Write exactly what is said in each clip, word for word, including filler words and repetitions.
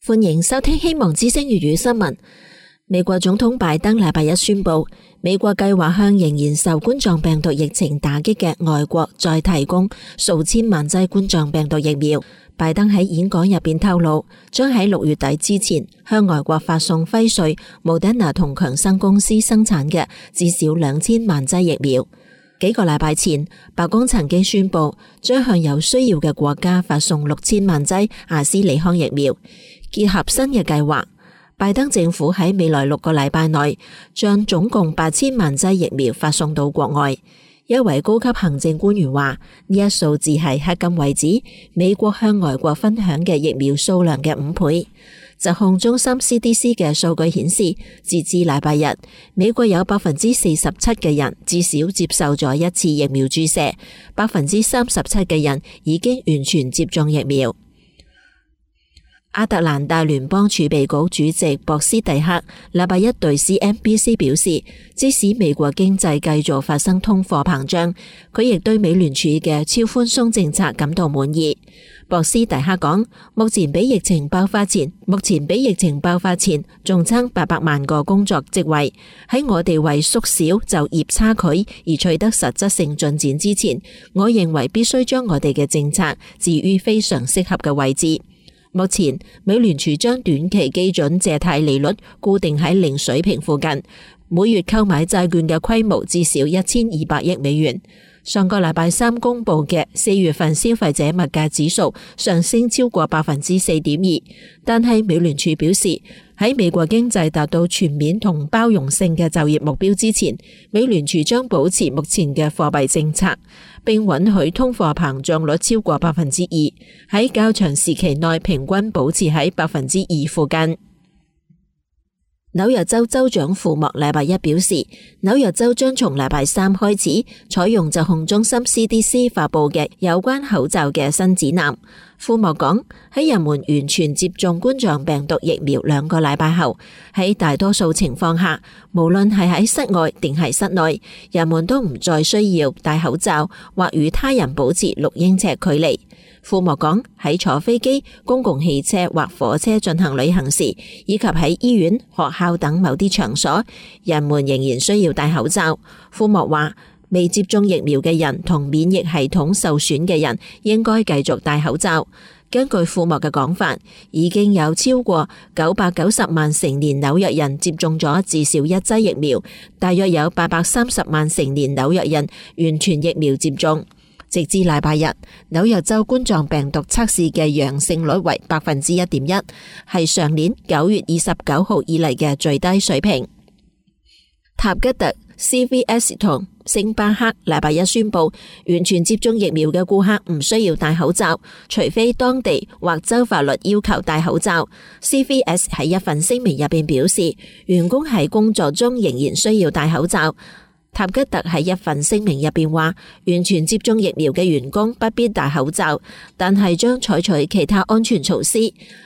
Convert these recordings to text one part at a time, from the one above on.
歡迎收聽希望之聲粵語新聞。美國總統拜登禮拜一宣布，美國計劃向仍然受冠狀病毒疫情打擊嘅外國再提供數千萬劑冠狀病毒疫苗。拜登喺演講入邊透露，將喺六月底之前向外國發送輝瑞、莫德納同強生公司生產嘅至少兩千萬劑疫苗。幾個禮拜前，白宮曾經宣布將向有需要嘅國家發送六千萬劑阿斯利康疫苗。結合新嘅計劃，拜登政府喺未來六個禮拜內將總共八千萬劑疫苗發送到國外。一位高級行政官員話，呢一數字係迄今為止美國向外國分享嘅疫苗數量嘅五倍。疾控中心 C D C 嘅數據顯示，截至禮拜日，美國有百分之四十七嘅人至少接受咗一次疫苗注射，百分之三十七嘅人已經完全接種疫苗。亞特蘭大聯邦儲備局主席博斯蒂克禮拜一對 C N B C 表示，即使美國經濟繼續發生通貨膨脹，佢亦對美聯儲嘅超寬鬆政策感到滿意。博斯蒂克講，目前比疫情爆發前，目前比疫情爆發前仲差八百萬個工作職位。喺我哋為縮小就業差距而取得實質性進展之前，我認為必須將我哋嘅政策置於非常適合嘅位置。目前，美聯儲將短期基準借貸利率固定喺零水平附近，每月購買債券嘅規模至少一千二百億美元。上個禮拜三公布嘅四月份消費者物價指數上升超過百分之四點二，但係美聯儲表示，喺美國經濟達到全面同包容性嘅就業目標之前，美聯儲將保持目前嘅貨幣政策，並允許通貨膨脹率超過百分之二，喺較長時期內平均保持喺百分之二附近。紐約州州長庫莫禮拜一表示，紐約州將從禮拜三開始採用疾控中心 C D C 發佈嘅有關口罩嘅新指南。庫莫講，喺人們完全接種冠狀病毒疫苗兩個禮拜後，喺大多數情況下，無論係喺室外定係室內，人們都唔再需要戴口罩或與他人保持六英尺距離。庫莫講，喺坐飛機、公共汽車或火車進行旅行時，以及喺醫院、學校等某啲場所，人們仍然需要戴口罩。庫莫話，未接種疫苗嘅人同免疫系統受損嘅人應該繼續戴口罩。根據庫莫嘅講法，已經有超過九百九十萬成年紐約人接種咗至少一劑疫苗，大約有八百三十萬成年紐約人完全疫苗接種。直至禮拜日，紐約州冠狀病毒測試嘅陽性率為百分之一點一，係上年九月二十九號以嚟嘅最低水平。塔吉特、C V S 同星巴克禮拜一宣布，完全接種疫苗嘅顧客唔需要戴口罩，除非當地或州法律要求戴口罩。C V S 喺一份聲明入邊表示，員工喺工作中仍然需要戴口罩。塔吉特喺一份聲明入邊話，完全接種疫苗嘅員工不必戴口罩，但係將採取其他安全措施，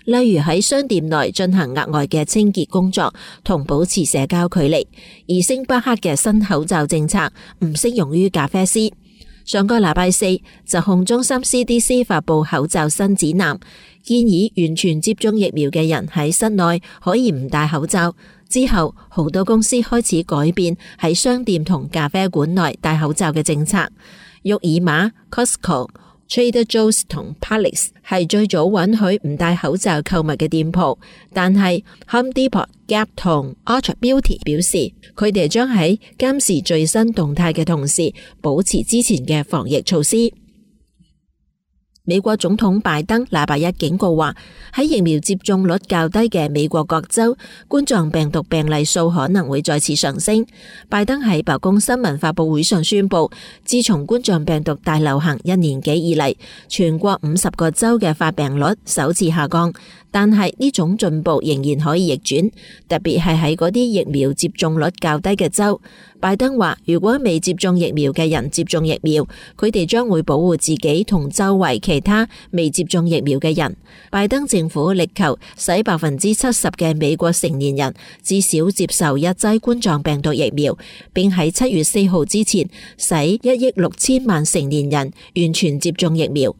例如喺商店內進行額外嘅清潔工作同保持社交距離。而星巴克嘅新口罩政策唔適用於咖啡師。上個禮拜四，疾控中心 C D C 發佈口罩新指南，建議完全接種疫苗嘅人喺室內可以唔戴口罩。之後，好多公司開始改變喺商店同咖啡館內戴口罩嘅政策。沃爾瑪、Costco、Trader Joe's 同 Publix 係最早允許唔戴口罩購物嘅店鋪，但係 Home Depot、Gap 同 Ulta Beauty 表示，佢哋將喺監視最新動態嘅同時，保持之前嘅防疫措施。美國總統拜登禮拜一警告話，喺疫苗接種率較低嘅美國各州，冠狀病毒病例數可能會再次上升。拜登喺白宮新聞發佈會上宣布，自從冠狀病毒大流行一年幾以嚟，全國五十個州嘅發病率首次下降，但係呢種進步仍然可以逆轉，特別係喺嗰啲疫苗接種率較低嘅州。拜登話，如果未接種疫苗嘅人接種疫苗，佢哋將會保護自己同周圍其他未接種疫苗嘅人。拜登政府力求使百分之七十嘅美國成年人至少接受一劑冠狀病毒疫苗，並喺七月四號之前使一億六千萬成年人完全接種疫苗。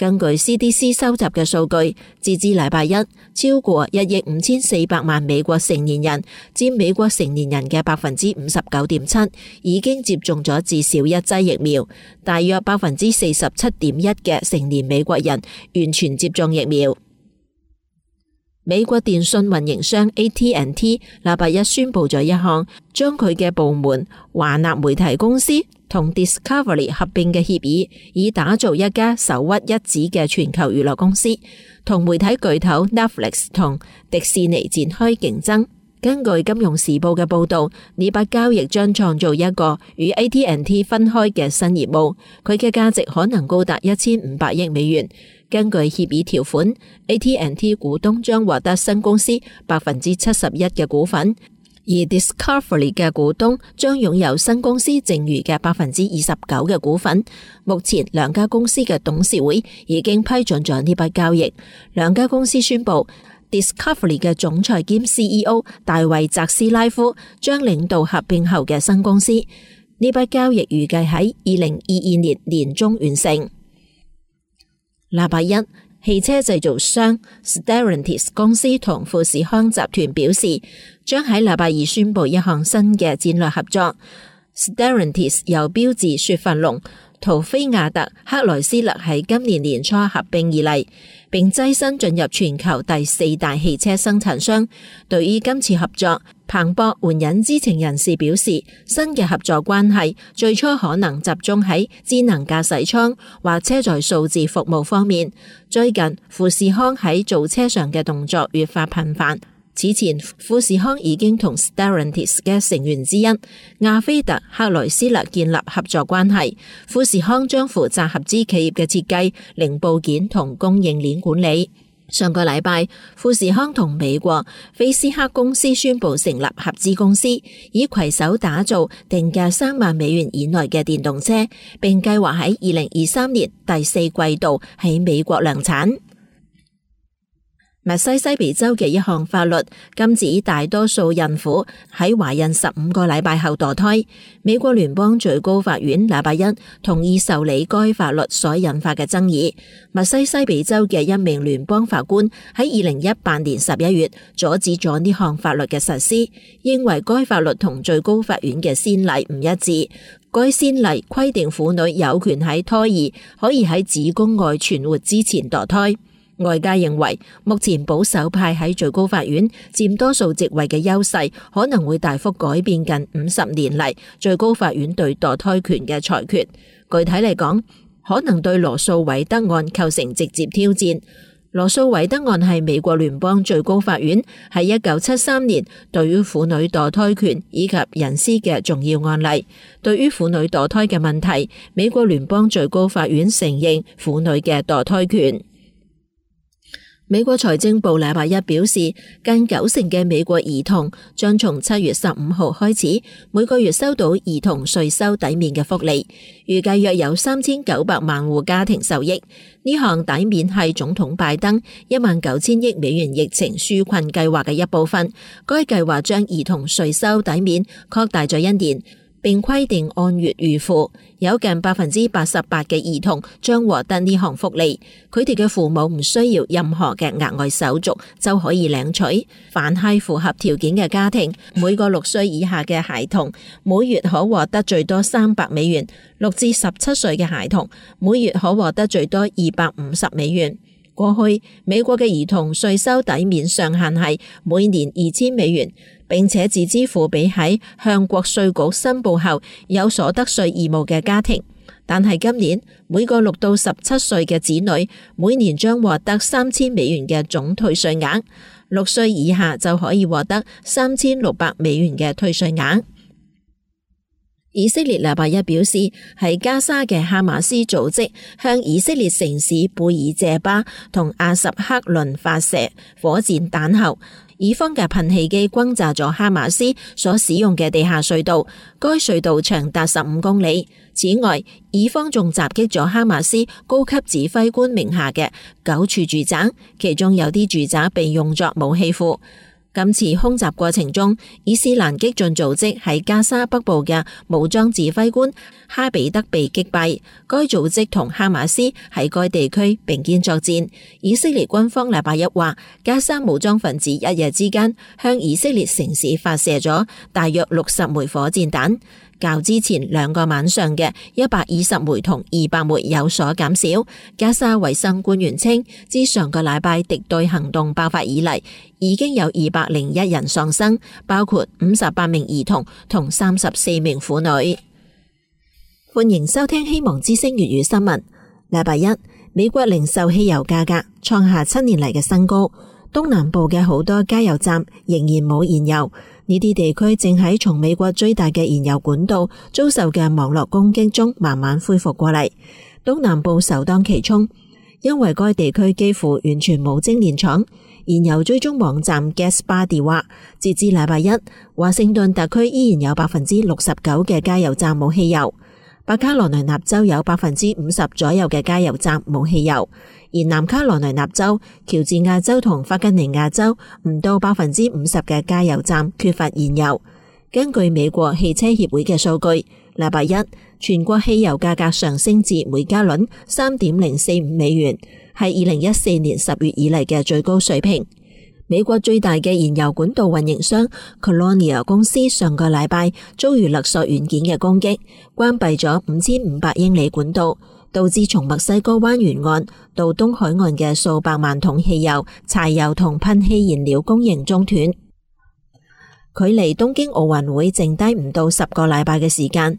根據 C D C 收集嘅數據，截至禮拜一，超過一億五千四百萬美國成年人，佔美國成年人嘅百分之五十九點七，已經接種咗至少一劑疫苗。大約百分之四十七點一嘅成年美國人完全接種疫苗。美國電信運營商 A T and T 禮拜一宣布咗一項將佢嘅部門華納媒體公司同 Discovery 合併嘅協議，以打造一家首屈一指嘅全球娛樂公司，同媒體巨頭 Netflix 同迪士尼展開競爭。根據金融時報嘅報道，呢筆交易將創造一個與 A T and T 分開嘅新業務，佢嘅價值可能高達一千五百億美元。根據協議條款， A T and T 股東將獲得新公司百分之七十一嘅股份，而 Discovery 嘅股東將擁有新公司剩餘嘅百分之二十九嘅股份。目前兩家公司嘅董事會已經批准咗呢筆交易。兩家公司宣布，Discovery 嘅總裁兼 C E O 大衛澤斯拉夫將領導合併後嘅新公司。呢筆交易預計喺二零二二年年中完成。禮拜一，汽車製造商 Stellantis 公司同富士康集團表示，將喺禮拜二宣布一項新嘅戰略合作。Stellantis 由標致雪佛龍、途飛亞特、克萊斯勒喺今年年初合併而嚟，並躋身進入全球第四大汽車生產商。對於今次合作，彭博援引知情人士表示，新嘅合作關係最初可能集中喺智能駕駛艙或車載數字服務方面。最近，富士康喺造車上嘅動作越發頻繁。此前，富士康已經同 Stellantis 嘅成員之一亞菲特克萊斯勒建立合作關係。富士康將負責合資企業嘅設計、零部件同供應鏈管理。上個禮拜，富士康同美國菲斯克公司宣布成立合資公司，以攜手打造定價三萬美元以內嘅電動車，並計劃喺二零二三年第四季度喺美國量產。密西西比州嘅一項法律禁止大多數孕婦喺懷孕十五個禮拜後墮胎。美國聯邦最高法院禮拜一同意受理該法律所引發嘅爭議。密西西比州嘅一名聯邦法官喺二零一八年十一月阻止咗呢項法律嘅實施，認為該法律同最高法院嘅先例唔一致。該先例規定婦女有權喺胎兒可以喺子宮外存活之前墮胎。外界認為，目前保守派喺最高法院佔多數席位嘅優勢，可能會大幅改變近五十年嚟最高法院對墮胎權嘅裁決。具體嚟講，可能對羅訴韋德案構成直接挑戰。羅訴韋德案係美國聯邦最高法院喺一九七三年對於婦女墮胎權以及隱私嘅重要案例。對於婦女墮胎嘅問題，美國聯邦最高法院承認婦女嘅墮胎權。美國財政部禮拜一表示，近九成嘅美國兒童將從七月十五號開始，每個月收到兒童稅收抵免嘅福利，預計約有三千九百萬戶家庭受益。呢項抵免係總統拜登一萬九千億美元疫情紓困計劃嘅一部分。該計劃將兒童稅收抵免擴大咗一年，並規定按月預付，有近百分之八十八嘅兒童將獲得呢項福利，佢哋嘅父母唔需要任何嘅額外手續就可以領取。凡係符合條件嘅家庭，每個六歲以下嘅孩童每月可獲得最多三百美元，六至十七歲嘅孩童每月可獲得最多二百五十美元。過去美國嘅兒童稅收抵免上限係每年二千美元，並且自支付俾喺向國稅局申報後有所得稅義務嘅家庭。但係今年每個六到十七歲嘅子女每年將獲得三千美元嘅總退稅額，六歲以下就可以獲得三千六百美元嘅退稅額。以色列禮拜一表示，喺加沙嘅哈馬斯組織向以色列城市貝爾謝巴同阿什克倫發射火箭彈後，以方嘅噴氣機轟炸咗哈馬斯所使用嘅地下隧道，該隧道長達十五公里。此外，以方仲襲擊咗哈馬斯高級指揮官名下嘅九處住宅，其中有啲住宅被用作武器庫。今次空襲過程中，伊斯蘭激進組織喺加沙北部嘅武裝指揮官哈比德被擊斃。該組織同哈馬斯喺該地區並肩作戰。以色列軍方禮拜一話，加沙武裝分子一夜之間向以色列城市發射咗大約六十枚火箭彈，較之前兩個晚上嘅一百二十枚同二百枚有所減少。加沙衛生官員稱，自上個禮拜敵對行動爆發以嚟，已經有二百零一人喪生，包括五十八名兒童同三十四名婦女。歡迎收聽希望之聲粵語新聞。禮拜一，美國零售汽油價格創下七年嚟嘅新高，東南部嘅好多加油站仍然冇燃油。呢啲地區正喺從美國最大嘅燃油管道遭受嘅網絡攻擊中慢慢恢復過嚟。東南部首當其衝，因為該地區幾乎完全冇精煉廠。燃油追蹤網站 GasBuddy 話，截至禮拜一，華盛頓特區依然有百分之六十九嘅加油站冇汽油，北卡羅來納州有百分之五十左右嘅加油站冇汽油，而南卡羅來納州、喬治亞州同弗吉尼亞州唔到百分之五十嘅加油站缺乏燃油。根據美國汽車協會嘅數據，禮拜一全國汽油價格上升至每加侖三點零四五美元，係二零一四年十月以嚟嘅最高水平。美國最大嘅燃油管道運營商 Colonial 公司上個禮拜遭遇勒索軟件嘅攻擊，關閉咗五千五百英里管道，導致從墨西哥灣沿岸到東海岸嘅數百萬桶汽油、柴油同噴氣燃料供應中斷。距離東京奧運會剩低唔到十個禮拜嘅時間，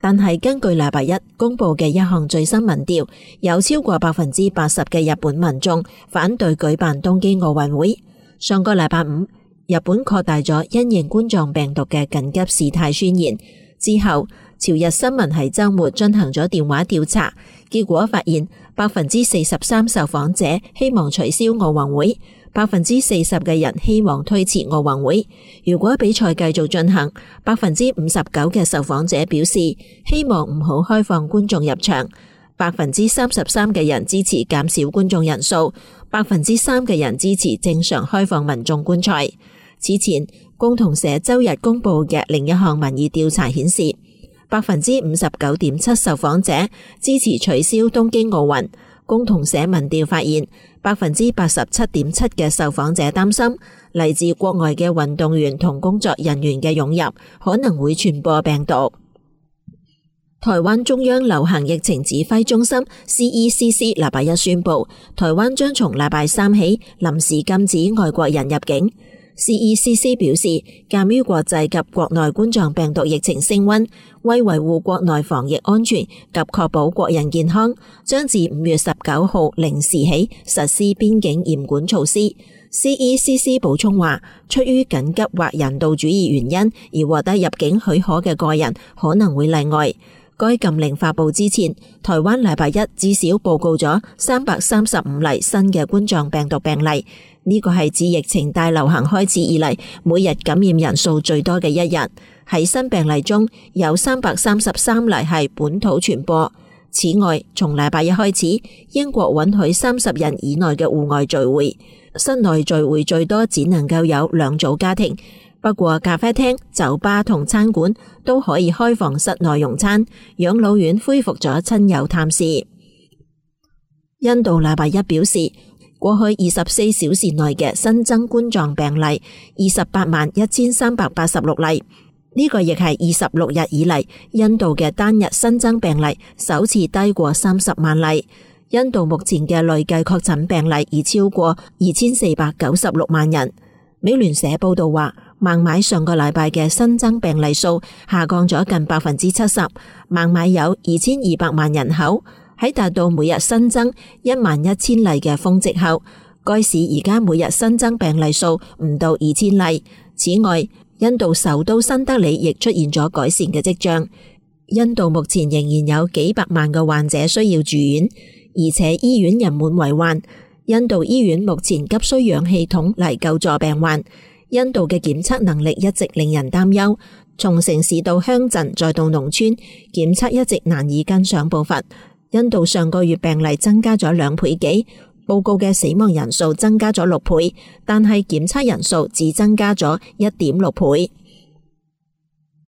但係根據禮拜一公布嘅一項最新民調，有超過百分之八十嘅日本民眾反對舉辦東京奧運會。上個禮拜五，日本擴大咗因應冠狀病毒嘅緊急事態宣言之後，朝日新聞喺周末進行咗電話調查，結果發現百分之四十三受訪者希望取消奧運會，百分之四十嘅人希望推遲奧運會。如果比賽繼續進行，百分之五十九嘅受訪者表示希望唔好開放觀眾入場，百分之三十三嘅人支持減少觀眾人數，百分之三嘅人支持正常開放民眾觀賽。此前，共同社周日公布嘅另一項民意調查顯示，百分之五十九點七受訪者支持取消東京奧運。共同社民調發現，百分之八十七點七嘅受訪者擔心嚟自國外嘅運動員同工作人員嘅湧入可能會傳播病毒。台灣中央流行疫情指揮中心 C E C C 禮拜一宣布，台灣將從禮拜三起臨時禁止外國人入境。C E C C 表示，鑒於國際及國內冠狀病毒疫情升溫，為維護國內防疫安全及確保國人健康，將自五月十九號零時起實施邊境嚴管措施。C E C C 補充話，出於緊急或人道主義原因而獲得入境許可嘅個人可能會例外。該禁令發佈之前，台灣禮拜一至少報告咗三百三十五例新嘅冠狀病毒病例，呢個係自疫情大流行開始以嚟每日感染人數最多嘅一日。喺新病例中有三百三十三例係本土傳播。此外，從禮拜一開始，英國允許三十人以內嘅戶外聚會，室內聚會最多只能夠有兩組家庭。不過咖啡廳、酒吧同餐館都可以開放室內用餐。養老院恢復咗親友探視。印度禮拜一表示，過去二十四小時內嘅新增冠狀病例二十八萬一千三百八十六例，呢個亦係二十六日以嚟印度嘅單日新增病例首次低過三十萬例。印度目前嘅累計確診病例已超過二千四百九十六萬人。美聯社報道話，孟買上個禮拜嘅新增病例數下降咗近百分之七十。孟買有二千二百萬人口，喺達到每日新增一萬一千例嘅峰值後，該市而家每日新增病例數唔到二千例。此外，印度首都新德里亦出現咗改善嘅跡象。印度目前仍然有幾百萬個患者需要住院，而且醫院人滿為患。印度醫院目前急需氧氣筒嚟救助病患。印度嘅檢測能力一直令人擔憂，從城市到鄉鎮再到農村，檢測一直難以跟上步伐。印度上個月病例增加咗兩倍幾，報告嘅死亡人數增加咗六倍，但係檢測人數只增加咗一點六倍。